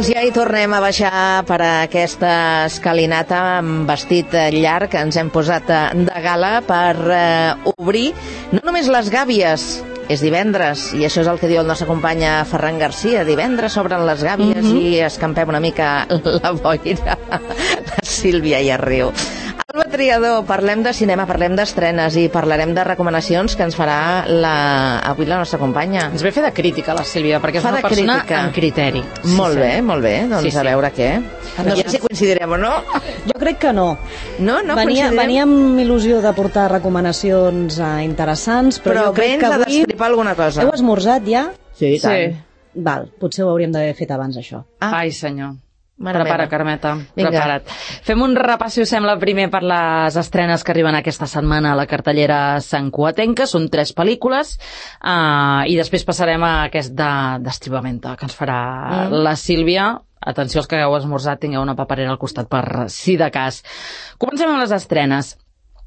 Doncs ja hi tornem a baixar per aquesta escalinata amb vestit llarg que ens hem posat de gala per obrir no només les gàbies. És divendres, i això és el que diu el nostre company Ferran Garcia. Divendres s'obren les gàbies i escampem una mica la boira. La Sílvia ja riu. Alba Triador, parlem de cinema, parlem d'estrenes i parlarem de recomanacions que ens farà avui la nostra companya. Ens ve fer de crítica, la Sílvia, perquè és una persona amb criteri. Molt bé, molt bé. Doncs a veure què. No sé si coincidirem o no. Jo crec que no. No coincidirem. Venia amb il·lusió de portar recomanacions interessants, però jo crec que avui... Però vens a destripar alguna cosa. Heu esmorzat ja? Sí, tant. Val, potser ho hauríem d'haver fet abans, això. Ai, senyor. Prepara, Carmeta, prepara't. Fem un repàs, si us sembla, primer per les estrenes que arriben aquesta setmana a la cartellera santcugatenca. Són 3 pel·lícules i després passarem a aquest d'estribamenta que ens farà la Sílvia. Atenció, els que hagueu esmorzat, tingueu una paperera al costat per si de cas. Comencem amb les estrenes.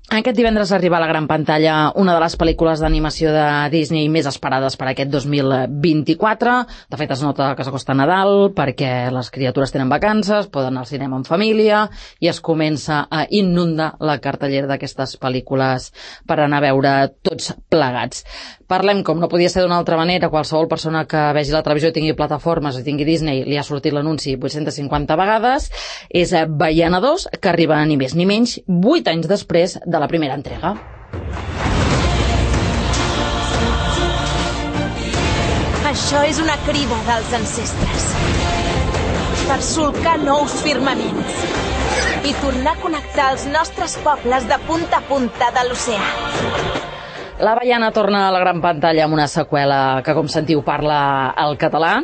Aquest divendres arriba a la gran pantalla una de les pel·lícules d'animació de Disney més esperades per aquest 2024. De fet, es nota que s'acosta Nadal perquè les criatures tenen vacances, poden anar al cinema en família i es comença a inundar la cartellera d'aquestes pel·lícules per anar a veure tots plegats. Parlem, com no podia ser d'una altra manera, qualsevol persona que vegi la televisió i tingui plataformes i tingui Disney, li ha sortit l'anunci 850 vegades, és Baiana 2, que arriba ni més ni menys 8 anys després de la primera entrega. Això és una crida dels ancestres per solcar nous firmaments i tornar a connectar els nostres pobles de punta a punta de l'oceà. La Baiana torna a la gran pantalla amb una seqüela que, com sentiu, parla el català.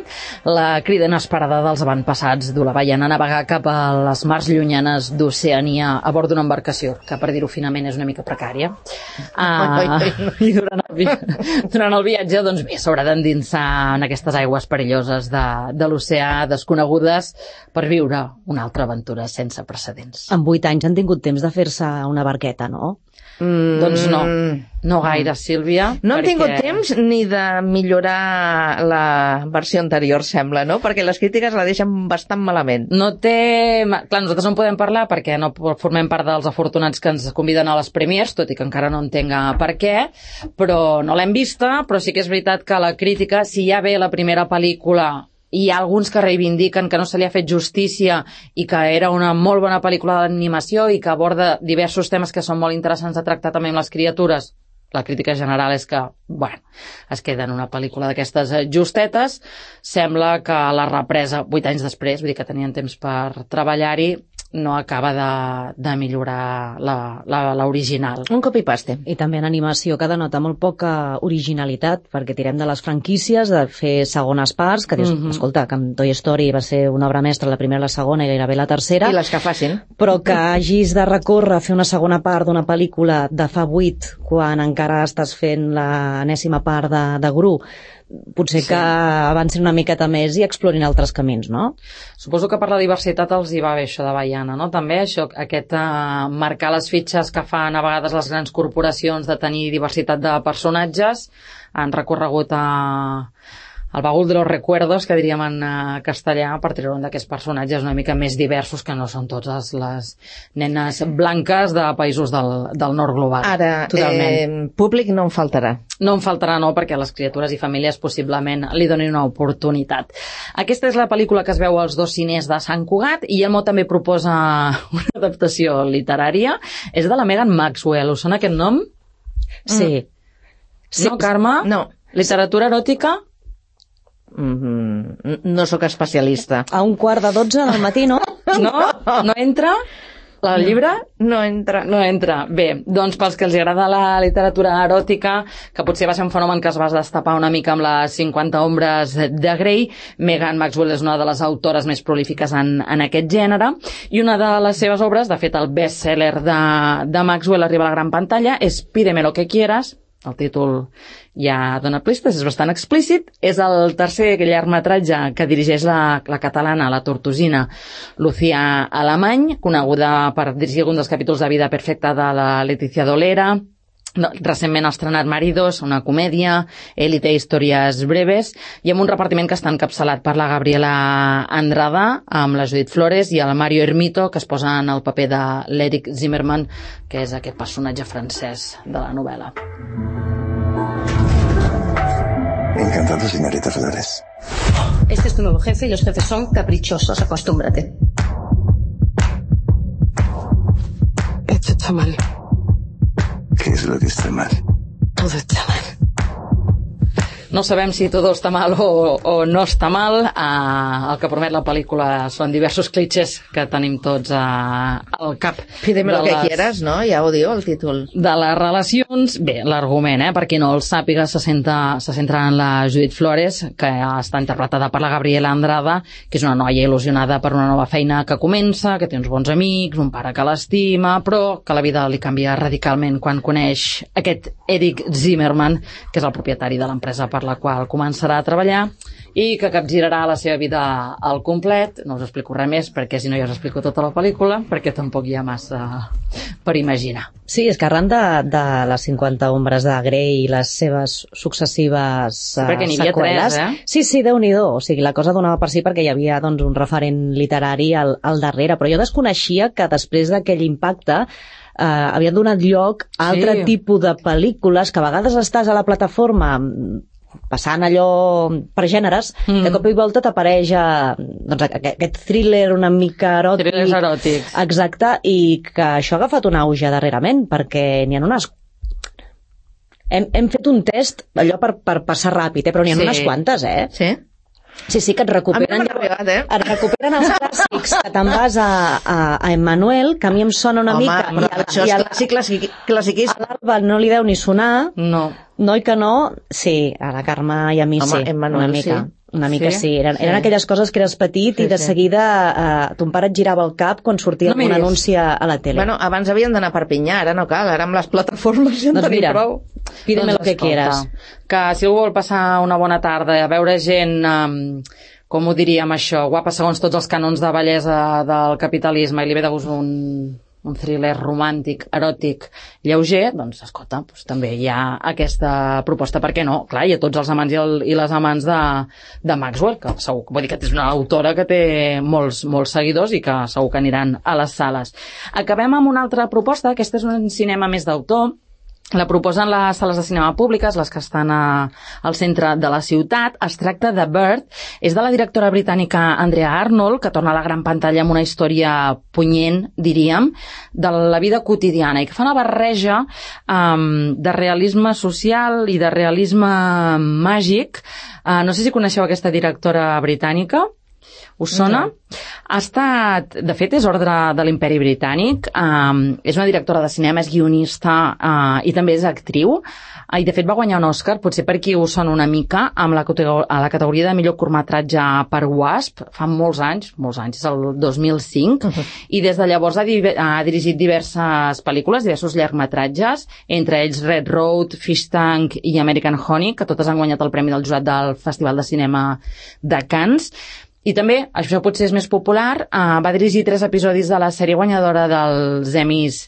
La crida inesperada dels avantpassats du la Baiana a navegar cap a les mars llunyanes d'Oceania a bord d'una embarcació, que per dir-ho finament és una mica precària. I durant el viatge, doncs bé, s'haurà d'endinsar en aquestes aigües perilloses de l'oceà, desconegudes, per viure una altra aventura sense precedents. En 8 anys han tingut temps de fer-se una barqueta, no? Doncs no gaire, Sílvia. No han tingut temps ni de millorar la versió anterior, sembla, no? Perquè les crítiques la deixen bastant malament. Clar, nosaltres no en podem parlar perquè no formem part dels afortunats que ens conviden a les premiers, tot i que encara no entenc per què, però no l'hem vista, però sí que és veritat que la crítica, si ja ve la primera pel·lícula, hi ha alguns que reivindiquen que no se li ha fet justícia i que era una molt bona pel·lícula d'animació i que aborda diversos temes que són molt interessants de tractar també amb les criatures. La crítica general és que, es queda en una pel·lícula d'aquestes justetes. Sembla que la represa, 8 anys després, vull dir que tenien temps per treballar-hi, no acaba de millorar l'original. Un copy-paste. I també en animació que denota molt poca originalitat, perquè tirem de les franquícies, de fer segones parts, que dius, escolta, que amb Toy Story va ser una obra mestra la primera, la segona i gairebé la tercera. I les que facin. Però que hagis de recórrer a fer una segona part d'una pel·lícula de fa 8, quan encara estàs fent l'enèsima part de Gru, potser que avancin una miqueta més i explorin altres camins, no? Suposo que per la diversitat els hi va bé això de Baiana, no? També això, marcar les fitxes que fan a vegades les grans corporacions de tenir diversitat de personatges, han recorregut al baúl de los recuerdos, que diríem en castellà, per treure un d'aquests personatges una mica més diversos, que no són totes les nenes blanques de països del nord global. Ara, públic no en faltarà. No en faltarà, no, perquè les criatures i famílies possiblement li donin una oportunitat. Aquesta és la pel·lícula que es veu als 2 ciners de Sant Cugat, i Elmo també proposa una adaptació literària. És de la Megan Maxwell. Us sona aquest nom? Sí. No, Carme? No. Literatura eròtica? No sóc especialista. A 11:45 del matí, no? No entra? El llibre? No entra. No entra. Bé, doncs pels que els agrada la literatura eròtica, que potser va ser un fenomen que es va destapar una mica amb les 50 ombres de Grey, Megan Maxwell és una de les autores més prolífiques en aquest gènere, i una de les seves obres, de fet el best-seller de Maxwell arriba a la gran pantalla, és Pídeme lo que quieras. El títol ja dona pistes, és bastant explícit. És el tercer llargmetratge que dirigeix la catalana, la tortosina Lucía Alemany, coneguda per dirigir algun dels capítols de Vida perfecta de la Letícia Dolera, recentment ha estrenat Maridos, una comèdia, Élite, històries breves, i amb un repartiment que està encapçalat per la Gabriela Andrada, amb la Judith Flores i el Mario Ermito, que es posa en el paper de l'Eric Zimmerman, que és aquest personatge francès de la novel·la. Encantado, señorita Flores. Este es tu nuevo jefe y los jefes son caprichosos, acostúmbrate. Esto está mal. ¿Qué es lo que está mal? Todo está mal. No sabem si tot està mal o no està mal. El que promet la pel·lícula són diversos clitxés que tenim tots al cap. Pídeme lo que quieras, no? Ja ho diu el títol. De les relacions, bé, l'argument, per qui no el sàpiga, se centra en la Judith Flores, que està interpretada per la Gabriela Andrada, que és una noia il·lusionada per una nova feina que comença, que té uns bons amics, un pare que l'estima, però que la vida li canvia radicalment quan coneix aquest Eric Zimmerman, que és el propietari de l'empresa per la qual començarà a treballar i que capgirarà la seva vida al complet. No us explico res més, perquè si no ja us explico tota la pel·lícula, perquè tampoc hi ha massa per imaginar. Sí, és que arran de les 50 ombres de Grey i les seves successives perquè n'hi havia seqüeles... 3, Sí, Déu-n'hi-do. O sigui, la cosa donava per si perquè hi havia doncs, un referent literari al darrere, però jo desconeixia que després d'aquell impacte havien donat lloc a altre tipus de pel·lícules que a vegades estàs a la plataforma passant allò per gèneres, de cop i volta t'apareix doncs, aquest thriller una mica eròtic. Thrillers eròtics. Exacte, i que això ha agafat un auge darrerament, perquè n'hi ha unes... Hem fet un test, allò per passar ràpid, però n'hi ha unes quantes, Sí? Sí, que et recuperen, et recuperen els clàssics, que te'n vas a Emmanuel, que a mi em sona una mica... Home, però això és classiquíssim. A l'Alba no li deu ni sonar. No. No i que no, sí, a la Carme i a mi sí, Emmanuel, una mica sí. Eren aquelles coses que eres petit i de seguida ton pare et girava el cap quan sortia un anunci a la tele. Bueno, abans havien d'anar a Perpinyà, ara no cal, ara amb les plataformes ja en tenim prou. Pídeme lo que quieras. Que si algú vol passar una bona tarda a veure gent, com ho diríem això, guapa segons tots els canons de bellesa del capitalisme i li ve de gust un thriller romàntic, eròtic, lleuger, doncs, escolta, doncs, també hi ha aquesta proposta, per què no? Clar, hi ha tots els amants i les amants de Maxwell, que segur, vull dir que és una autora que té molts seguidors i que segur que aniran a les sales. Acabem amb una altra proposta, aquesta és un cinema més d'autor, la proposen les sales de cinema públiques, les que estan al centre de la ciutat. Es tracta de Bird, és de la directora britànica Andrea Arnold, que torna a la gran pantalla amb una història punyent, diríem, de la vida quotidiana i que fa una barreja de realisme social i de realisme màgic. No sé si coneixeu aquesta directora britànica. Us sona? No. Ha estat, de fet, és ordre de l'Imperi Britànic, és una directora de cinema, és guionista i també és actriu, i de fet va guanyar un Òscar, potser per qui us sona una mica, a la categoria de millor curtmetratge per Wasp, fa molts anys, és el 2005, i des de llavors ha dirigit diverses pel·lícules, diversos llargmetratges, entre ells Red Road, Fish Tank i American Honey, que totes han guanyat el premi del jurat del Festival de Cinema de Cannes. I també, això potser és més popular, va dirigir 3 episodis de la sèrie guanyadora dels Emmys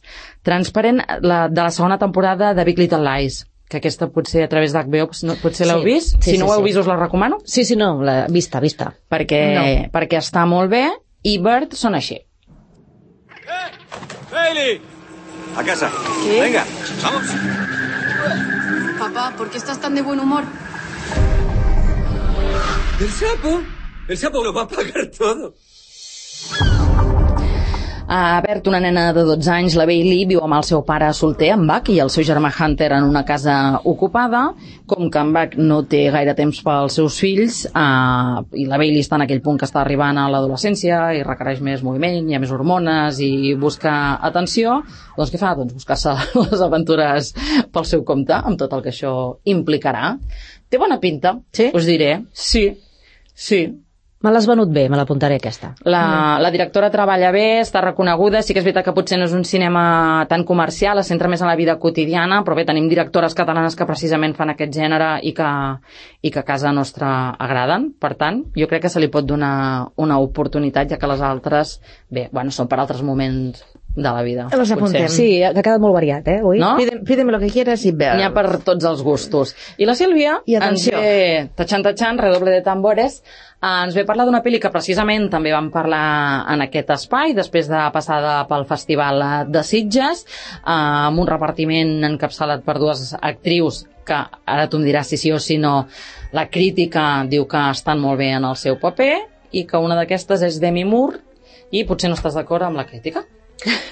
Transparent, de la segona temporada de Big Little Lies, que aquesta potser a través d'HBO, potser l'heu vist? Si no ho heu vist us la recomano? Sí, no, vista. Perquè està molt bé, i Bird són així. ¡Hailey! A casa. ¿Qué? Venga, vamos. Papá, ¿por qué estás tan de buen humor? ¿El sapo? El sapo lo va a pagar todo. Bert, una nena de 12 anys, la Bailey, viu amb el seu pare solter, en Buck, i el seu germà Hunter en una casa ocupada. Com que en Buck no té gaire temps pels seus fills, i la Bailey està en aquell punt que està arribant a l'adolescència i requereix més moviment, hi ha més hormones i busca atenció, doncs què fa? Doncs buscar-se les aventures pel seu compte, amb tot el que això implicarà. Té bona pinta, us diré. Sí. Me l'has venut bé, me l'apuntaré aquesta. La directora treballa bé, està reconeguda, sí que és veritat que potser no és un cinema tan comercial, es centra més en la vida quotidiana, però bé, tenim directores catalanes que precisament fan aquest gènere i que a casa nostra agraden. Per tant, jo crec que se li pot donar una oportunitat, ja que les altres, bé, bueno, són per altres moments de la vida. Les apuntem. Sí, ha quedat molt variat, avui. No? Pídeme lo que quieras i veus. N'hi ha per tots els gustos. I la Sílvia I ens atenció. ve, tachan, redoble de tambores, ens ve parlar d'una pel·li que precisament també vam parlar en aquest espai, després de passada pel Festival de Sitges, amb un repartiment encapçalat per dues actrius que ara tu em diràs si sí o si no, la crítica diu que estan molt bé en el seu paper i que una d'aquestes és Demi Moore i potser no estàs d'acord amb la crítica.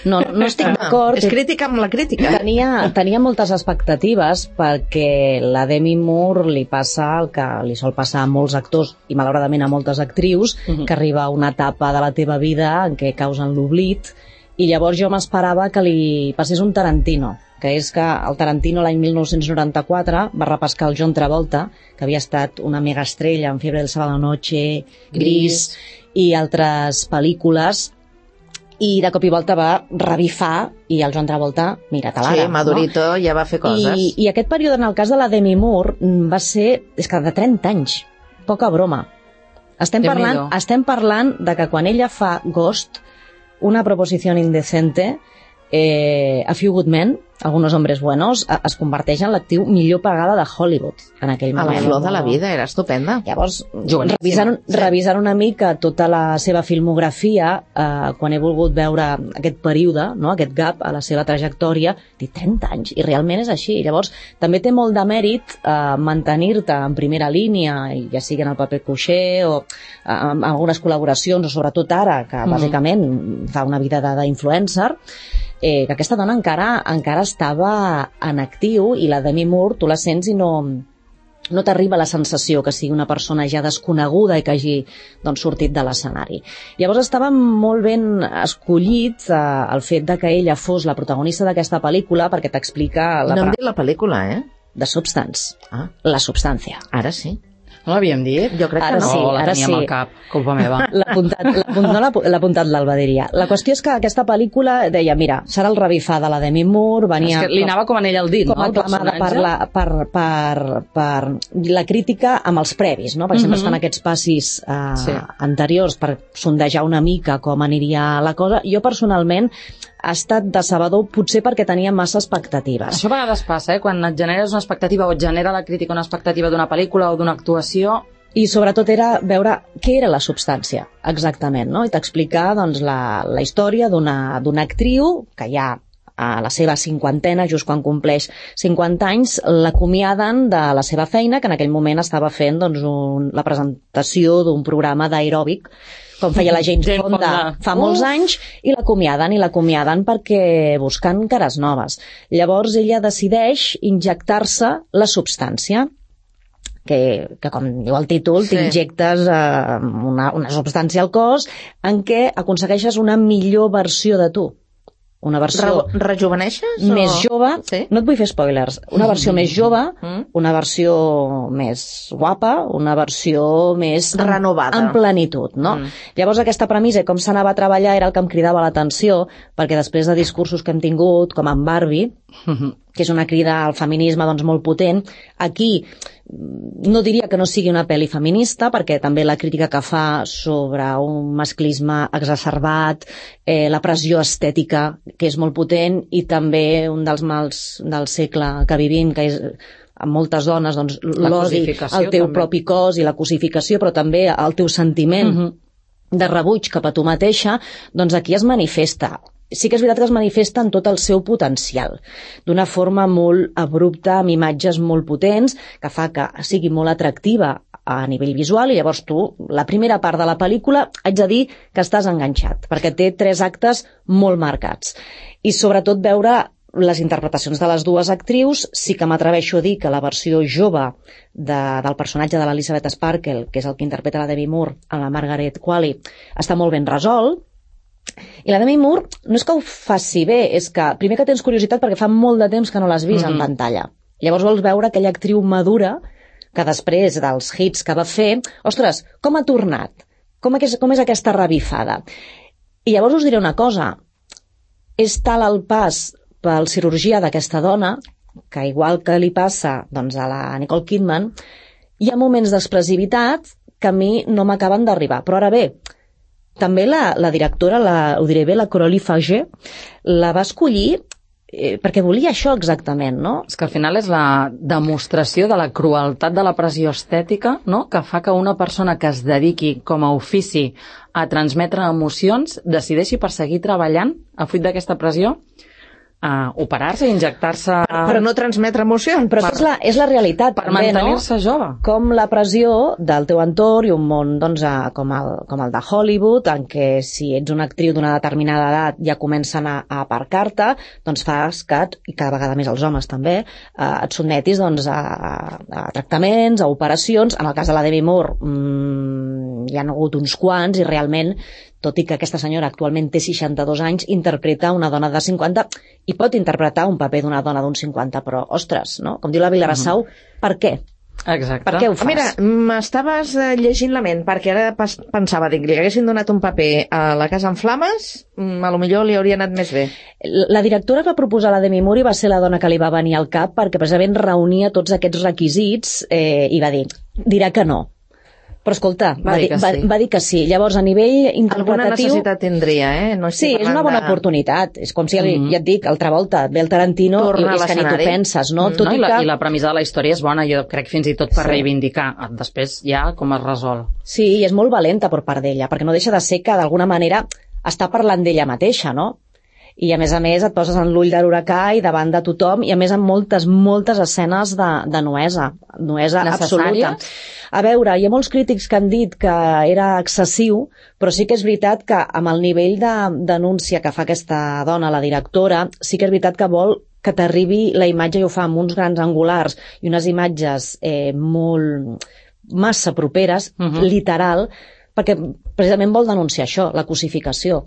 No estic d'acord. És crítica amb la crítica. Tenia moltes expectatives perquè la Demi Moore li passa el que li sol passar a molts actors i malauradament a moltes actrius, que arriba a una etapa de la teva vida en què causen l'oblit, i llavors jo m'esperava que li passés un Tarantino, que és que el Tarantino l'any 1994 va repescar el John Travolta, que havia estat una megaestrella en Fiebre del Sábado Noche, Gris i altres pel·lícules, i de cop i volta va revifar i el Joan Travolta, mira-te l'ara. Sí, Madurito ja va fer coses. I aquest període, en el cas de la Demi Moore, va ser, és que de 30 anys, poca broma. Estem parlant de que quan ella fa Ghost, una proposició indecente, A Few Good Men, Algunos Hombres Buenos, es converteix en l'actriu millor pagada de Hollywood en aquell moment. A la flor de la vida, era estupenda. Llavors, revisant una mica tota la seva filmografia, quan he volgut veure aquest període, no, aquest gap a la seva trajectòria, dic 30 anys, i realment és així. Llavors, també té molt de mèrit mantenir-te en primera línia, ja sigui en el paper coixer o amb algunes col·laboracions, o sobretot ara, que bàsicament fa una vida d'influencer, que aquesta dona encara estava en actiu, i la Demi Moore tu la sents i no t'arriba la sensació que sigui una persona ja desconeguda i que hagi sortit de l'escenari. Llavors estava molt ben escollit el fet de que ella fos la protagonista d'aquesta pel·lícula, perquè t'explica... No em dit la pel·lícula, The Substance. La substància. Ara sí. No l'havíem dit? Jo crec que no. No, la teníem al cap, culpa meva. L'ha apuntat l'Alba, diria. La qüestió és que aquesta pel·lícula deia, mira, serà el revifar de la Demi Moore, venia... És que li anava com anell al dit, no? Com aclamada per la crítica amb els previs, no? Perquè sempre es fan aquests passis anteriors per sondejar una mica com aniria la cosa. Jo, personalment, ha estat decebedor, potser perquè tenia massa expectatives. Això a vegades passa, quan et generes una expectativa o et genera la crítica una expectativa d'una pel·lícula o d'una actuació... I sobretot era veure què era la substància, exactament, no? I t'explicar la història d'una actriu que ja a la seva cinquantena, just quan compleix 50 anys, l'acomiaden de la seva feina, que en aquell moment estava fent la presentació d'un programa d'aeròbic, com feia la James Fonda fa molts anys, i l'acomiaden perquè busquen cares noves. Llavors ella decideix injectar-se la substància, que com diu el títol, t'injectes una substància al cos en què aconsegueixes una millor versió de tu. Una versió... Rejuveneixes? Més jove, no et vull fer spoilers, una versió més jove, una versió més guapa, una versió més... renovada. En plenitud, no? Llavors aquesta premissa i com s'anava a treballar era el que em cridava l'atenció, perquè després de discursos que hem tingut, com en Barbie, que és una crida al feminisme molt potent, aquí no diria que no sigui una pel·li feminista, perquè també la crítica que fa sobre un masclisme exacerbat, la pressió estètica, que és molt potent, i també un dels mals del segle que vivim, que és amb moltes dones, l'odi al teu propi cos i la cosificació, però també el teu sentiment de rebuig cap a tu mateixa, doncs aquí es manifesta. Sí que és veritat que es manifesta en tot el seu potencial, d'una forma molt abrupta, amb imatges molt potents, que fa que sigui molt atractiva a nivell visual, i llavors tu, la primera part de la pel·lícula, haig de dir que estàs enganxat, perquè té 3 actes molt marcats. I sobretot veure les interpretacions de les dues actrius, sí que m'atreveixo a dir que la versió jove del personatge de l'Elizabeth Sparkle, que és el que interpreta la Demi Moore en la Margaret Qualley, està molt ben resolt. I la Demi Moore no és que ho faci bé, és que primer que tens curiositat perquè fa molt de temps que no l'has vist en pantalla. Llavors vols veure aquella actriu madura que després dels hits que va fer, ostres, com ha tornat? Com és aquesta revifada? I llavors us diré una cosa, és tal el pas pel cirurgià d'aquesta dona que igual que li passa a la Nicole Kidman, hi ha moments d'expressivitat que a mi no m'acaben d'arribar. Però ara bé, també la directora, ho diré bé, la Coralie Fager, la va escollir perquè volia això exactament, no? És que al final és la demostració de la crueltat de la pressió estètica, no?, que fa que una persona que es dediqui com a ofici a transmetre emocions decideixi per seguir treballant a fruit d'aquesta pressió, a operar-se, injectar-se... Per no transmetre emocions. Però és la realitat, per també, mantenir-se jove. Com la pressió del teu entorn i un món doncs, com el de Hollywood, en què si ets una actriu d'una determinada edat ja comencen a aparcar-te, doncs fas que, i cada vegada més els homes també, et sotmetis doncs, a tractaments, a operacions. En el cas de la Demi Moore hi ha hagut uns quants i realment, tot i que aquesta senyora actualment té 62 anys, interpreta una dona de 50 i pot interpretar un paper d'una dona d'uns 50, però, ostres, no? Com diu la Vilarassau, per què? Exacte. Per què ho fas? Mira, m'estaves llegint la ment, perquè ara pensava, dic, li haguessin donat un paper a La casa en flames, a lo millor li hauria anat més bé. La directora que va proposar la Demi Moore va ser la dona que li va venir al cap perquè precisament reunia tots aquests requisits i va dir, dirà que no. Però escolta, va dir que sí. Llavors, a nivell interpretatiu... Alguna necessitat tindria, No sí, és una bona oportunitat. És com si, ja et dic, altra volta, ve el Tarantino i és que ni t'ho penses, no? I la premissa de la història és bona, jo crec fins i tot per reivindicar. Després ja com es resol. Sí, i és molt valenta per part d'ella, perquè no deixa de ser que d'alguna manera està parlant d'ella mateixa, no? I a més et poses en l'ull de l'huracà i davant de tothom, i a més amb moltes escenes de nuesa absoluta. A veure, hi ha molts crítics que han dit que era excessiu, però sí que és veritat que amb el nivell de denúncia que fa aquesta dona, la directora, sí que és veritat que vol que t'arribi la imatge, i ho fa amb uns grans angulars i unes imatges massa properes, literal, perquè precisament vol denunciar això, la cosificació.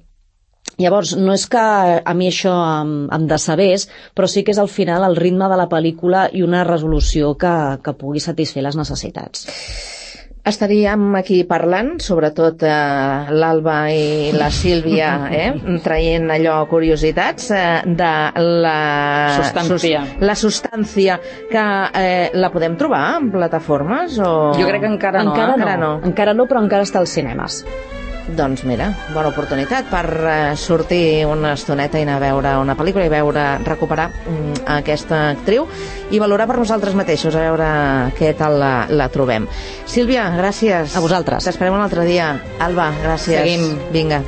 Llavors, no és que a mi això em decebés, però sí que és al final el ritme de la pel·lícula i una resolució que pugui satisfer les necessitats. Estaríem aquí parlant, sobretot l'Alba i la Sílvia, traient allò curiositats de la substància que la podem trobar en plataformes? Jo crec que encara no. Encara no, però encara està als cinemes. Doncs mira, bona oportunitat per sortir una estoneta i anar a veure una pel·lícula i recuperar aquesta actriu i valorar per nosaltres mateixos, a veure què tal la trobem. Sílvia, gràcies. A vosaltres. T'esperem un altre dia. Alba, gràcies. Seguim. Vinga.